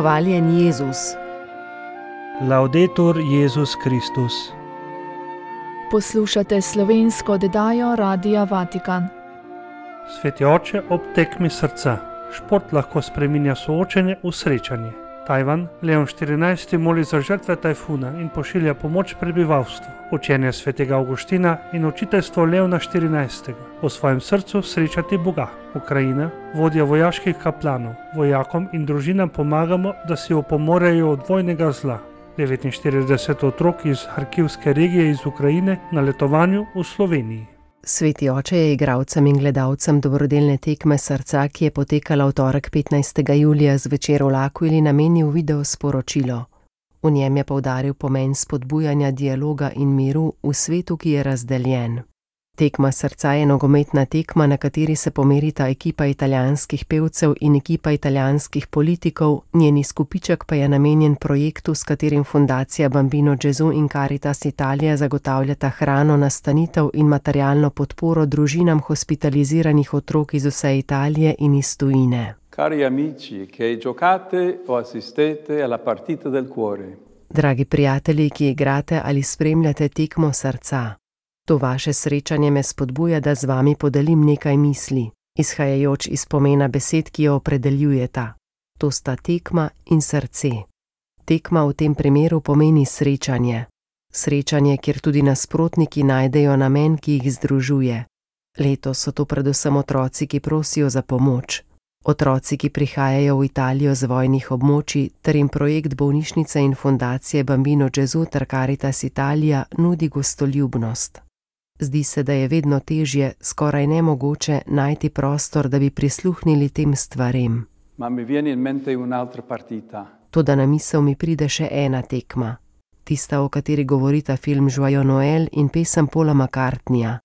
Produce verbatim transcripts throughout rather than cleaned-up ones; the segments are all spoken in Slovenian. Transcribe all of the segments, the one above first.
Hvaljen Jezus. Laudetur Jezus Kristus. Poslušate slovensko oddajo Radia Vatikan. Sveti oče ob tekmi srca. Šport lahko spreminja soočenje v srečanje. Tajvan, Leon štirinajsti moli za žrtve tajfuna in pošilja pomoč prebivalstvu. Učenje svetega Avguština in učiteljstvo Leona štirinajstega. V svojem srcu srečati Boga. Ukrajina, vodja vojaških kaplanov. Vojakom in družinam pomagamo, da si opomorejo od vojnega zla. devetinštirideset otrok iz Harkivske regije iz Ukrajine na letovanju v Sloveniji. Sveti oče je igralcem in gledalcem dobrodelne tekme srca, ki je potekala v torek petnajstega julija zvečer v L'Aquili, namenil video sporočilo. V njem je poudaril pomen spodbujanja dialoga in miru v svetu, ki je razdeljen. Tekma srca je nogometna tekma, na kateri se pomerita ekipa italijanskih pevcev in ekipa italijanskih politikov, njeni skupiček pa je namenjen projektu, s katerim fundacija Bambino Gesù in Caritas Italia zagotavljata hrano, nastanitev in materialno podporo družinam hospitaliziranih otrok iz vse Italije in iz tujine. Cari amici, che giocate o assistete alla partita del cuore. Dragi prijatelji, ki igrate ali spremljate tekmo srca. To vaše srečanje me spodbuja, da z vami podelim nekaj misli, izhajajoč iz pomena besed, ki jo opredeljujeta. To sta tekma in srce. Tekma v tem primeru pomeni srečanje. Srečanje, kjer tudi nasprotniki najdejo namen, ki jih združuje. Letos so to predvsem otroci, ki prosijo za pomoč. Otroci, ki prihajajo v Italijo z vojnih območij, ter jim projekt bolnišnice in fundacije Bambino Gesù ter Caritas Italia nudi gostoljubnost. Zdi se, da je vedno težje, skoraj nemogoče, najti prostor, da bi prisluhnili tem stvarem. Ma mi viene in mente un'altra partita. Toda na misel mi pride še ena tekma. Tista, o kateri govorita film Joyeux Noël in pesem Paula McCartneyja.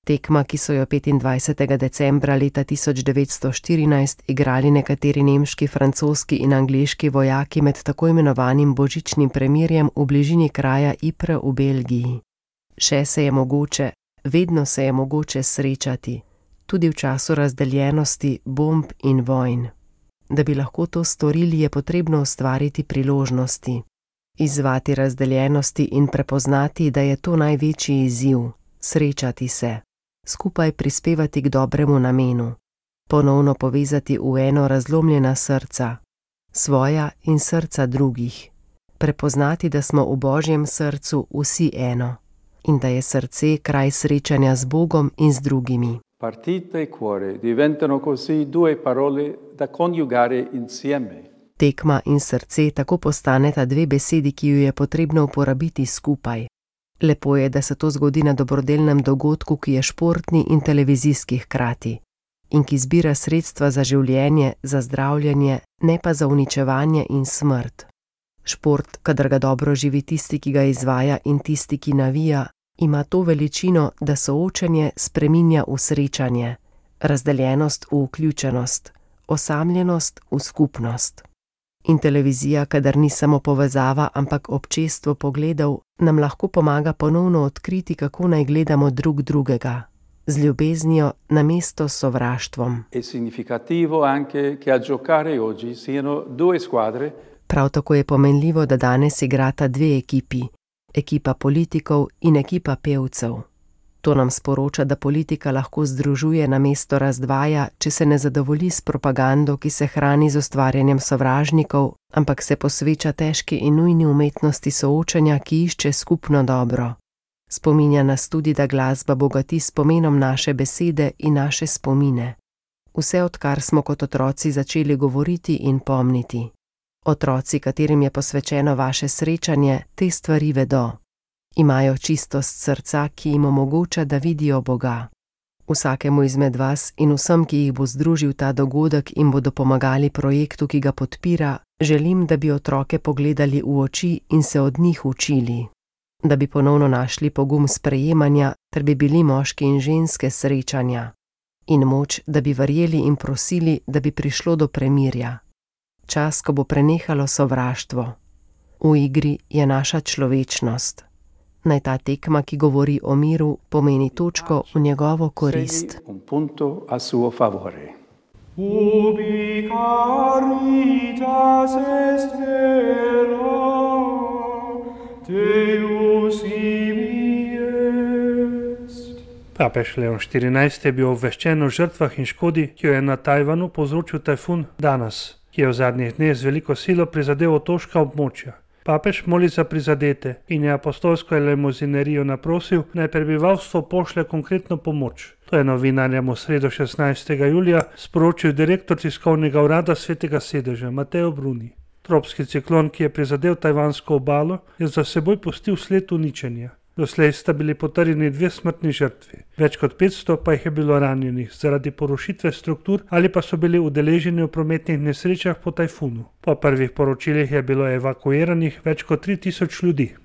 Tekma, ki so jo petindvajsetega decembra leta tisoč devetsto štirinajst igrali nekateri nemški, francoski in angleški vojaki med tako imenovanim božičnim premirjem v bližini kraja Ypres v Belgiji. Še se je mogoče, vedno se je mogoče srečati, tudi v času razdeljenosti, bomb in vojn. Da bi lahko to storili, je potrebno ustvariti priložnosti, izzvati razdeljenosti in prepoznati, da je to največji izziv, srečati se, skupaj prispevati k dobremu namenu, ponovno povezati v eno razlomljena srca, svoja in srca drugih, prepoznati, da smo v Božjem srcu vsi eno. In da je srce kraj srečanja z Bogom in z drugimi. Partita e cuore diventano così due parole da coniugare insieme. Tekma in srce tako postaneta dve besedi, ki ju je potrebno uporabiti skupaj. Lepo je, da se to zgodi na dobrodelnem dogodku, ki je športni in televizijski hkrati in ki zbira sredstva za življenje, za zdravljenje, ne pa za uničevanje in smrt. Šport, kadar ga dobro živi tisti, ki ga izvaja in tisti, ki navija, ima to veličino, da soočenje spreminja v srečanje, razdeljenost v vključenost, osamljenost v skupnost. In televizija, kadar ni samo povezava, ampak občestvo pogledov, nam lahko pomaga ponovno odkriti, kako naj gledamo drug drugega, z ljubeznijo namesto s sovraštvom. È significativo anche che a giocare oggi siano due squadre. Prav tako je pomenljivo, da danes igrata dve ekipi, ekipa politikov in ekipa pevcev. To nam sporoča, da politika lahko združuje namesto razdvaja, če se ne zadovolji s propagando, ki se hrani z ustvarjanjem sovražnikov, ampak se posveča težki in nujni umetnosti soočanja, ki išče skupno dobro. Spominja nas tudi, da glasba bogati s pomenom naše besede in naše spomine. Vse odkar smo kot otroci začeli govoriti in pomniti. Otroci, katerim je posvečeno vaše srečanje, te stvari vedo. Imajo čistost srca, ki jim omogoča, da vidijo Boga. Vsakemu izmed vas in vsem, ki jih bo združil ta dogodek in bodo pomagali projektu, ki ga podpira, želim, da bi otroke pogledali v oči in se od njih učili. Da bi ponovno našli pogum sprejemanja, ter bi bili moški in ženske srečanja. In moč, da bi verjeli in prosili, da bi prišlo do premirja. Čas, ko bo prenehalo sovraštvo. V igri je naša človečnost. Naj ta tekma, ki govori o miru, pomeni točko v njegovo korist. Un punto a suo favore. Ubi caritas Caritas est vera, Deus ibi est. Papež Leon štirinajsti je bil obveščen o žrtvah in škodi, ki jo je na Tajvanu povzročil tajfun Danas, ki je v zadnjih dneh z veliko silo prizadel otoška območja. Papež moli za prizadete in je apostolsko elemozinerijo naprosil, naj prebivalstvo pošlje konkretno pomoč. To je novinarjem v sredo šestnajstega julija sporočil direktor tiskovnega urada Svetega sedeža Mateo Bruni. Tropski ciklon, ki je prizadel tajvansko obalo, je za seboj pustil sled uničenja. Doslej sta bili potrjeni dve smrtni žrtvi. Več kot petsto pa jih je bilo ranjenih zaradi porušitve struktur ali pa so bili udeleženi v prometnih nesrečah po tajfunu. Po prvih poročilih je bilo evakuiranih več kot tri tisoč ljudi.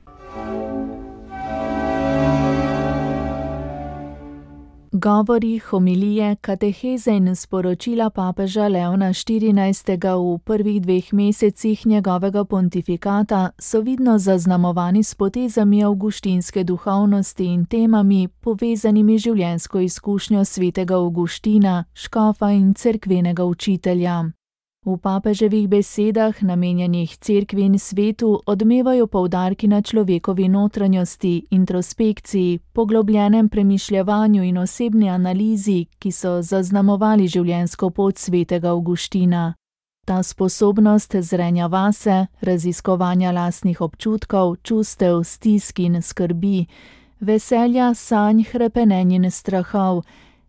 Govori, homilije, kateheze in sporočila papeža Leona štirinajstega v prvih dveh mesecih njegovega pontifikata so vidno zaznamovani s potezami avguštinske duhovnosti in temami, povezanimi življenjsko izkušnjo svetega Avguština, škofa in cerkvenega učitelja. V papeževih besedah, namenjenih cerkvi in svetu, odmevajo poudarki na človekovi notranjosti, introspekciji, poglobljenem premišljevanju in osebni analizi, ki so zaznamovali življenjsko pot svetega Avguština. Ta sposobnost zrenja vase, raziskovanja lastnih občutkov, čustev, stisk in skrbi, veselja, sanj, hrepenenj in strahov,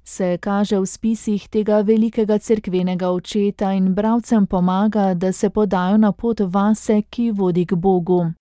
se kaže v spisih tega velikega cerkvenega očeta in bralcem pomaga, da se podajo na pot vase, ki vodi k Bogu.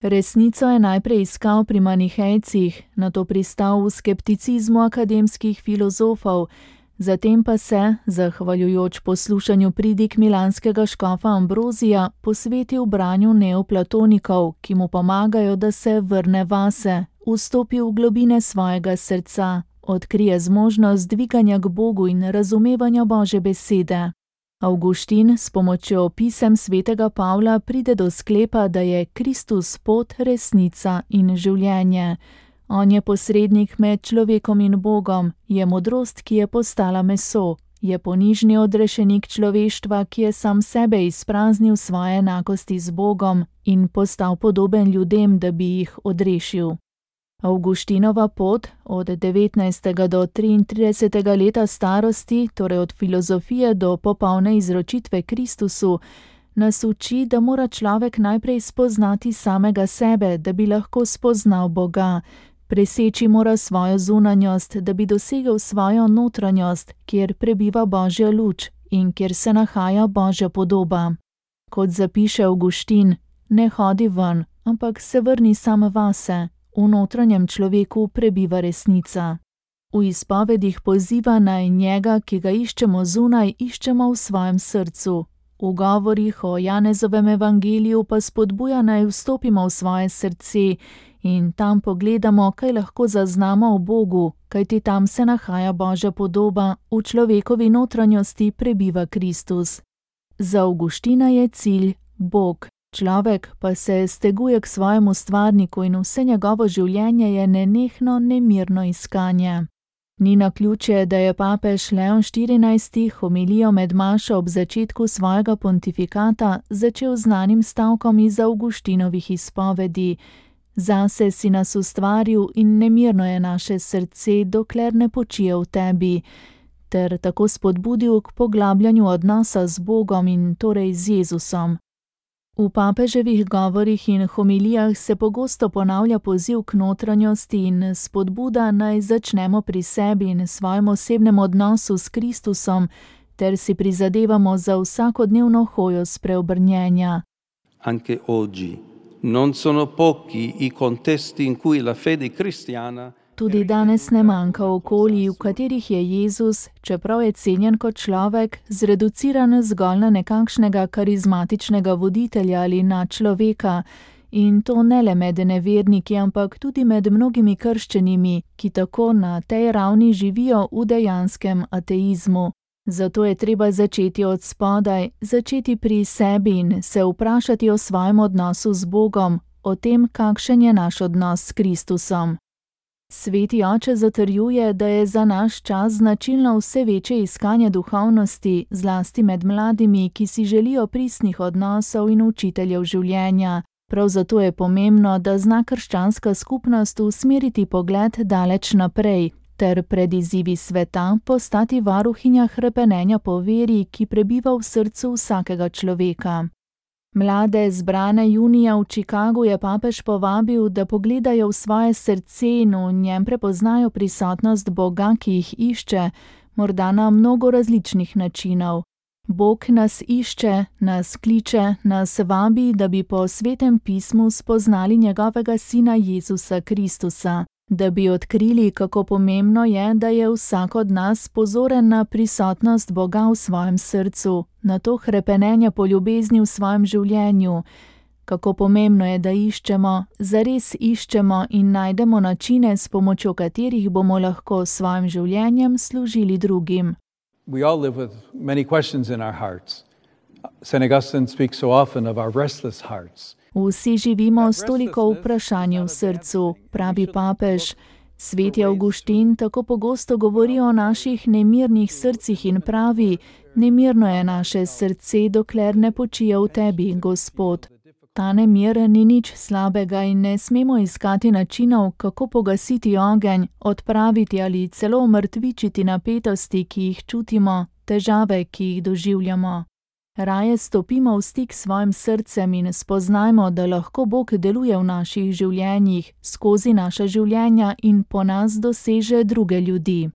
Resnico je najprej iskal pri manihejcih, nato pristal v skepticizmu akademskih filozofov, zatem pa se, zahvaljujoč poslušanju pridig milanskega škofa Ambrozija, posvetil branju neoplatonikov, ki mu pomagajo, da se vrne vase, vstopi v globine svojega srca, odkrije zmožnost dviganja k Bogu in razumevanja Božje besede. Avguštin s pomočjo pisem svetega Pavla pride do sklepa, da je Kristus pot, resnica in življenje. On je posrednik med človekom in Bogom, je modrost, ki je postala meso, je ponižni odrešenik človeštva, ki je sam sebe izpraznil svoje enakosti z Bogom in postal podoben ljudem, da bi jih odrešil. Avguštinova pot od devetnajstega do triintridesetega leta starosti, torej od filozofije do popolne izročitve Kristusu, nas uči, da mora človek najprej spoznati samega sebe, da bi lahko spoznal Boga, preseči mora svojo zunanjost, da bi dosegel svojo notranjost, kjer prebiva Božja luč in kjer se nahaja Božja podoba. Kot zapiše Avguštin, ne hodi ven, ampak se vrni sam vase. V notranjem človeku prebiva resnica. V izpovedih poziva naj njega, ki ga iščemo zunaj, iščemo v svojem srcu. V govorih o Janezovem evangeliju pa spodbuja naj vstopimo v svoje srce in tam pogledamo, kaj lahko zaznamo o Bogu, kajti tam se nahaja Božja podoba, v človekovi notranjosti prebiva Kristus. Za Avguština je cilj Bog. Človek pa se steguje k svojemu stvarniku in vse njegovo življenje je nenehno, nemirno iskanje. Ni naključje, da je papež Leon štirinajsti homilijo med mašo ob začetku svojega pontifikata začel znanim stavkom iz Avguštinovih izpovedi. Zase si nas ustvaril in nemirno je naše srce, dokler ne počije v tebi, ter tako spodbudil k poglabljanju odnosa z Bogom in torej z Jezusom. V papeževih govorih in homilijah se pogosto ponavlja poziv k notranjosti in spodbuda naj začnemo pri sebi in svojem osebnem odnosu s Kristusom, ter si prizadevamo za vsakodnevno hojo spreobrnjenja. Anche oggi non sono pochi i contesti in cui la fede cristiana. Tudi danes ne manjka okolij, v katerih je Jezus, čeprav je cenjen kot človek, zreduciran zgolj na nekakšnega karizmatičnega voditelja ali nadčloveka, in to ne le med neverniki, ampak tudi med mnogimi krščenimi, ki tako na tej ravni živijo v dejanskem ateizmu. Zato je treba začeti od spodaj, začeti pri sebi in se vprašati o svojem odnosu z Bogom, o tem, kakšen je naš odnos s Kristusom. Sveti oče zatrjuje, da je za naš čas značilno vse večje iskanje duhovnosti, zlasti med mladimi, ki si želijo pristnih odnosov in učiteljev življenja. Prav zato je pomembno, da zna krščanska skupnost usmeriti pogled daleč naprej, ter pred izzivi sveta postati varuhinja hrepenenja po veri, ki prebiva v srcu vsakega človeka. Mlade zbrane junija v Chicagu je papež povabil, da pogledajo v svoje srce in v njem prepoznajo prisotnost Boga, ki jih išče, morda na mnogo različnih načinov. Bog nas išče, nas kliče, nas vabi, da bi po svetem pismu spoznali njegovega sina Jezusa Kristusa, da bi odkrili, kako pomembno je, da je vsak od nas pozoren na prisotnost Boga v svojem srcu, na to hrepenenje po ljubezni v svojem življenju, kako pomembno je, da iščemo, zares iščemo in najdemo načine, s pomočjo katerih bomo lahko s svojim življenjem služili drugim. We all live with many questions in our hearts. Saint Augustine speaks so often of our restless hearts. Vsi živimo s toliko vprašanj v srcu, pravi papež. Sveti Avguštin tako pogosto govori o naših nemirnih srcih in pravi: nemirno je naše srce, dokler ne počije v tebi, Gospod. Ta nemir ni nič slabega in ne smemo iskati načinov, kako pogasiti ogenj, odpraviti ali celo umrtvičiti napetosti, ki jih čutimo, težave, ki jih doživljamo. Raje stopimo v stik s svojim srcem in spoznajmo, da lahko Bog deluje v naših življenjih, skozi naša življenja in po nas doseže druge ljudi.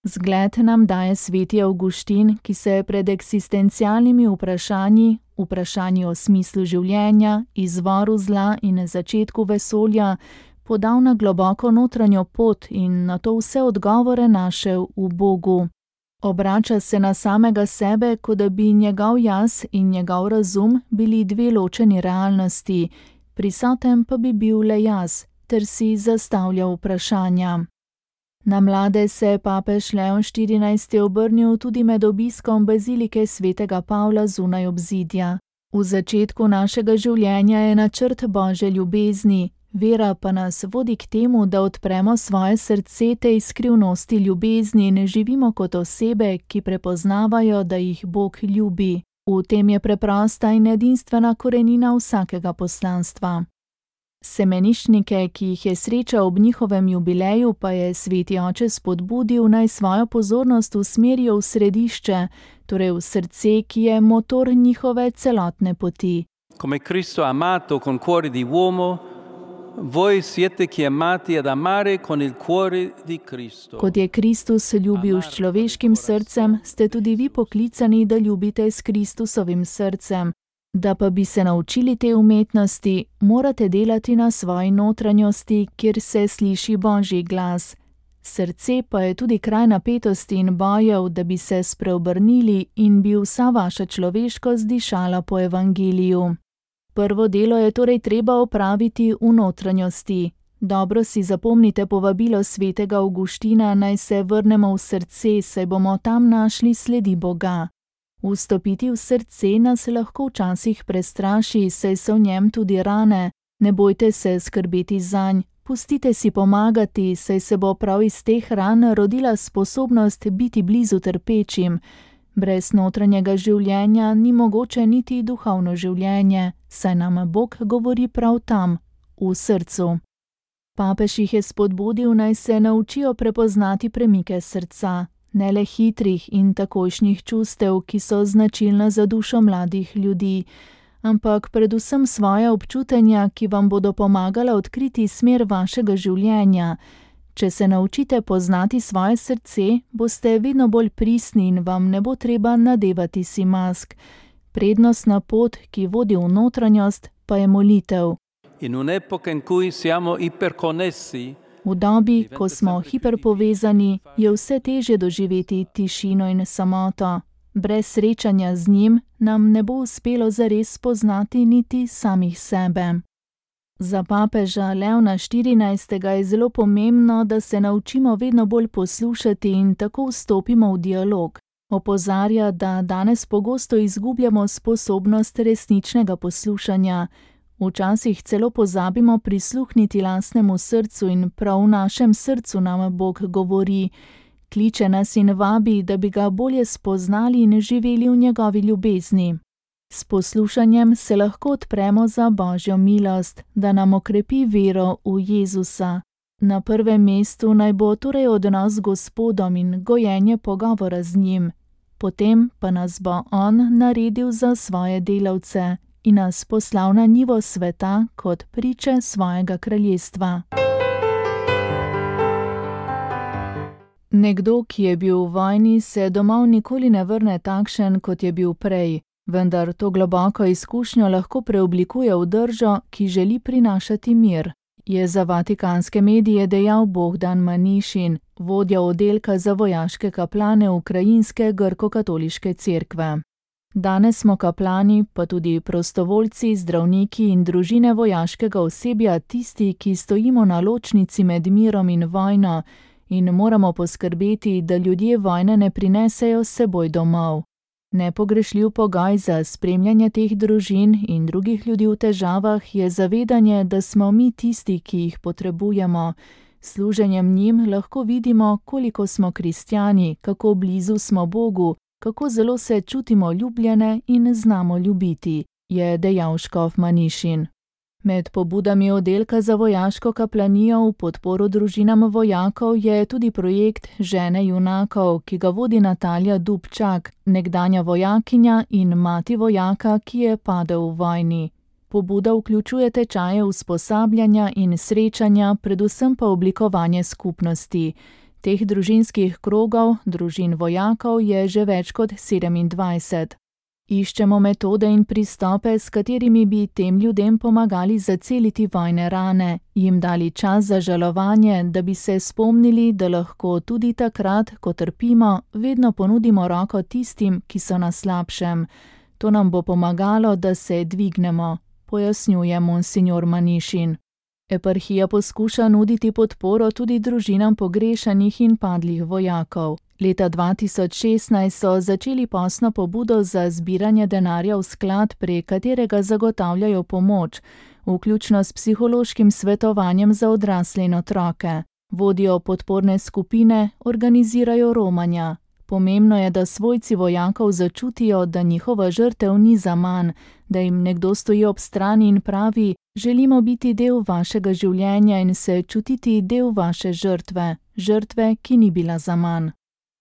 Zgled nam daje sveti Avguštin, ki se je pred eksistencialnimi vprašanji, vprašanji o smislu življenja, izvoru zla in začetku vesolja, podal na globoko notranjo pot in na to vse odgovore našel v Bogu. Obrača se na samega sebe, kot da bi njegov jaz in njegov razum bili dve ločeni realnosti, prisoten pa bi bil le jaz, ter si zastavljal vprašanja. Na mlade se je papež Leon štirinajsti obrnil tudi med obiskom bazilike svetega Pavla zunaj obzidja. V začetku našega življenja je načrt Božje ljubezni, vera pa nas vodi k temu, da odpremo svoje srce tej skrivnosti ljubezni in živimo kot osebe, ki prepoznavajo, da jih Bog ljubi. V tem je preprosta in edinstvena korenina vsakega poslanstva. Semeniščnike, ki jih je srečal ob njihovem jubileju, pa je sveti oče spodbudil, naj svojo pozornost usmerijo v središče, torej v srce, ki je motor njihove celotne poti. Come Cristo ha amato con cuore di uomo, voi siete chiamati ad amare con il cuore di Cristo. Kot je Kristus ljubil s človeškim srcem, ste tudi vi poklicani, da ljubite s Kristusovim srcem. Da pa bi se naučili te umetnosti, morate delati na svoji notranjosti, kjer se sliši Božji glas. Srce pa je tudi kraj napetosti in bojev, da bi se spreobrnili in bi vsa vaša človeškost dišala po evangeliju. Prvo delo je torej treba opraviti v notranjosti. Dobro si zapomnite povabilo svetega Avguština, naj se vrnemo v srce, saj bomo tam našli sledi Boga. Vstopiti v srce nas lahko včasih prestraši, saj so v njem tudi rane. Ne bojte se skrbeti zanj, pustite si pomagati, saj se bo prav iz teh ran rodila sposobnost biti blizu trpečim. Brez notranjega življenja ni mogoče niti duhovno življenje, saj nam Bog govori prav tam, v srcu. Papež jih je spodbudil, naj se naučijo prepoznati premike srca. Ne le hitrih in takojšnjih čustev, ki so značilna za dušo mladih ljudi, ampak predvsem svoja občutenja, ki vam bodo pomagala odkriti smer vašega življenja. Če se naučite poznati svoje srce, boste vedno bolj pristni in vam ne bo treba nadevati si mask. Prednostna pot, ki vodi v notranjost, pa je molitev. In un'epoca in cui siamo iperconnessi, V dobi, ko smo hiperpovezani, je vse težje doživeti tišino in samoto. Brez srečanja z njim nam ne bo uspelo zares spoznati niti samih sebe. Za papeža Leona štirinajstega je zelo pomembno, da se naučimo vedno bolj poslušati in tako vstopimo v dialog. Opozarja, da danes pogosto izgubljamo sposobnost resničnega poslušanja. Včasih celo pozabimo prisluhniti lastnemu srcu in prav v našem srcu nam Bog govori, kliče nas in vabi, da bi ga bolje spoznali in živeli v njegovi ljubezni. S poslušanjem se lahko odpremo za Božjo milost, da nam okrepi vero v Jezusa. Na prvem mestu naj bo torej odnos z Gospodom in gojenje pogovora z njim. Potem pa nas bo on naredil za svoje delavce in nas poslal na njivo sveta kot priče svojega kraljestva. Nekdo, ki je bil v vojni, se domov nikoli ne vrne takšen, kot je bil prej, vendar to globoko izkušnjo lahko preoblikuje v držo, ki želi prinašati mir, je za vatikanske medije dejal Bohdan Manišin, vodja oddelka za vojaške kaplane Ukrajinske grko-katoliške cerkve. Danes smo kaplani, pa tudi prostovoljci, zdravniki in družine vojaškega osebja tisti, ki stojimo na ločnici med mirom in vojno in moramo poskrbeti, da ljudje vojne ne prinesejo s seboj domov. Nepogrešljiv pogoj za spremljanje teh družin in drugih ljudi v težavah je zavedanje, da smo mi tisti, ki jih potrebujemo. S služenjem njim lahko vidimo, koliko smo kristjani, kako blizu smo Bogu, kako zelo se čutimo ljubljene in znamo ljubiti, je dejal škof Manišin. Med pobudami oddelka za vojaško kaplanijo v podporo družinam vojakov je tudi projekt Žene junakov, ki ga vodi Natalija Dubčak, nekdanja vojakinja in mati vojaka, ki je padel v vojni. Pobuda vključuje tečaje usposabljanja in srečanja, predvsem pa oblikovanje skupnosti. Teh družinskih krogov, družin vojakov, je že več kot sedemindvajset. Iščemo metode in pristope, s katerimi bi tem ljudem pomagali zaceliti vojne rane, jim dali čas za žalovanje, da bi se spomnili, da lahko tudi takrat, ko trpimo, vedno ponudimo roko tistim, ki so na slabšem. To nam bo pomagalo, da se dvignemo, pojasnjuje monsignor Manišin. Eparhija poskuša nuditi podporo tudi družinam pogrešanih in padlih vojakov. Leta dva tisoč šestnajst so začeli posno pobudo za zbiranje denarja v sklad, prek katerega zagotavljajo pomoč, vključno s psihološkim svetovanjem za odrasle in otroke. Vodijo podporne skupine, organizirajo romanja. Pomembno je, da svojci vojakov začutijo, da njihova žrtev ni zaman, da jim nekdo stoji ob strani in pravi: želimo biti del vašega življenja in se čutiti del vaše žrtve, žrtve, ki ni bila zaman.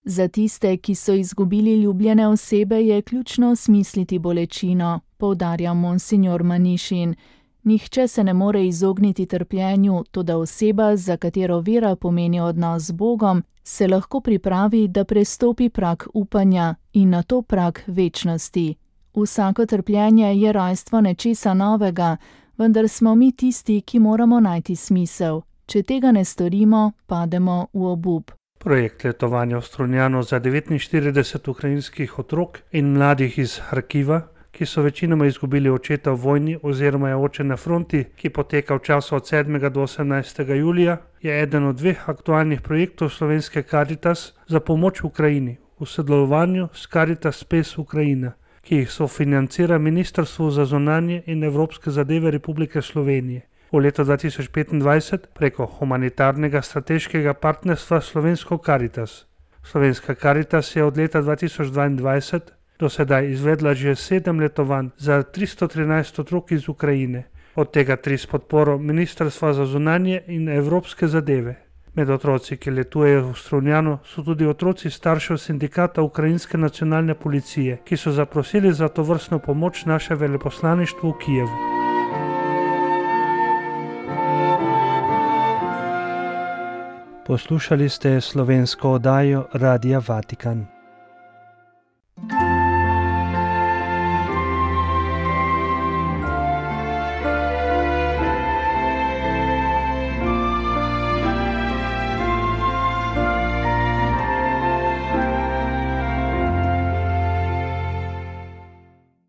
Za tiste, ki so izgubili ljubljene osebe, je ključno osmisliti bolečino, poudarja monsignor Manišin. Nihče se ne more izogniti trpljenju, toda oseba, za katero vera pomeni odnos z Bogom, se lahko pripravi, da prestopi prag upanja in nato prag večnosti. Vsako trpljenje je rojstvo nečesa novega, vendar smo mi tisti, ki moramo najti smisel. Če tega ne storimo, pademo v obup. Projekt letovanja v Strunjanu za devetinštirideset ukrajinskih otrok in mladih iz Harkiva, ki so večinoma izgubili očeta v vojni oziroma je oče na fronti, ki poteka v času od sedmega do osemnajstega julija, je eden od dveh aktualnih projektov slovenske Caritas za pomoč Ukrajini v sodelovanju s Caritas Spes Ukrajina, ki jih sofinancira Ministrstvo za zunanje in evropske zadeve Republike Slovenije. V letu dva tisoč petindvajset preko humanitarnega strateškega partnerstva Slovensko Caritas. Slovenska Caritas je od leta dva tisoč dvaindvajset do sedaj izvedla že sedem letovanj za tristo trinajst otrok iz Ukrajine, od tega tri s podporo Ministrstva za zunanje in evropske zadeve. Med otroci, ki letujejo v Strunjanu, so tudi otroci staršev sindikata Ukrajinske nacionalne policije, ki so zaprosili za tovrstno pomoč naše veleposlaništvo v Kijevu. Poslušali ste slovensko oddajo Radia Vatikan.